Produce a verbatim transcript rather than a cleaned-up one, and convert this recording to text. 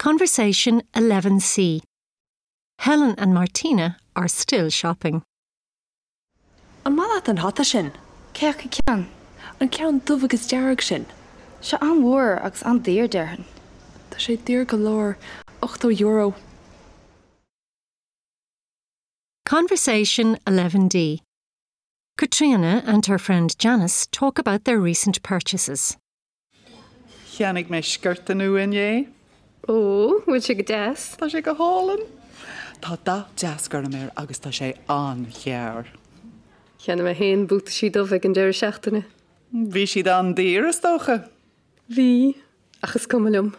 Conversation eleven C. Helen and Martina are still shopping. An maith leat an hata sin? Cé acu ceann? An ceann dubh agus dearg sin. Sé an-mhór agus an-daor déarfainn. Tá sé daor go leor, ochtó euro. Conversation eleven D. Katrina and her friend Janice talk about their recent purchases. Cheannaigh mé sciorta nua inné. Ó, bhfuil sé go deas? Tá sé go hálainn. Tá dath deas gorm air agus tá sé an-ghearr. Cheannaigh mé féin buataisí dubha ag an deireadh seachtaine. Bhí siad an-daor is dócha. Bhí, ach is cuma liom.